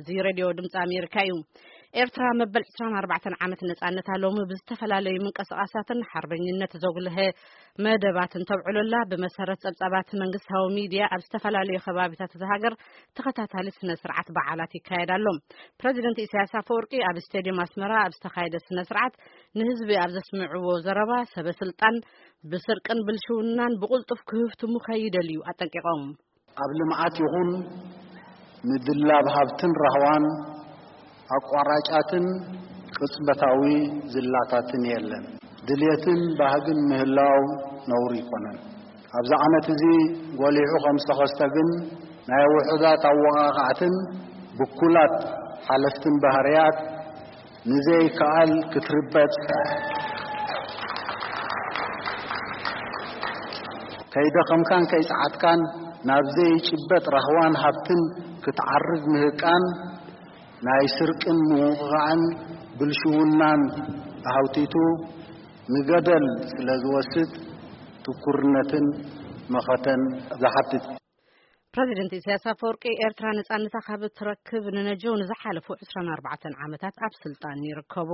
እዚ ሬድዮ ድምፂ ኣሜሪካ እዩ። ኤርትራ መበል ዕስራን ኣርባዕተን ዓመት ነፃነታ ሎሚ ብዝተፈላለዩ ምንቅስቃሳትን ሓርበኝነት ዘጉልሀ መደባትን ተብዕሎላ። ብመሰረት ጸብጻባት መንግስታዊ ሚድያ፣ ኣብ ዝተፈላለዩ ከባቢታት እዛ ሃገር ተኸታታሊ ስነ ስርዓት በዓላት ይካየድ ኣሎ። ፕረዚደንት ኢሳያስ ኣፈወርቂ ኣብ ስቴድየም ኣስመራ ኣብ ዝተኻየደ ስነ ስርዓት ንህዝቢ ኣብ ዘስምዕዎ ዘረባ፣ ሰበ ስልጣን ብስርቅን ብልሽውናን ብቕልጡፍ ክህፍትሙ ከይደልዩ ኣጠንቂቖም። ኣብ ልምዓት ይኹን ምድላብ ሃብትን ራህዋን ኣቋራጫትን ቅጽበታዊ ዝላታትን የለን። ድልየትን ባህግን ምህላው ነውሪ ኣይኮነን። ኣብዚ ዓመት እዚ ጎሊሑ ከም ዝተኸስተ ግን፣ ናይ ውሑዳት ኣወቓቓዕትን ብኩላት ሓለፍትን ባህርያት ንዘይከኣል ክትርበጽ፣ ከይደኸምካን ከይጸዓትካን ናብ ዘይጭበጥ ራህዋን ሃብትን ክትዓርግ ምህቃን፣ ናይ ስርቅን ምውቕቓዕን ብልሽውናን ኣሃውቲቱ ንገደል ስለ ዝወስድ፣ ትኩርነትን መኸተን ዝሓትት። ፕረዚደንት ኢሳያስ ኣፈወርቂ፣ ኤርትራ ነጻነታ ካብ እትረክብ ንነጀው ንዝሓለፉ ዕስራን ኣርባዕተን ዓመታት ኣብ ስልጣን ይርከቡ።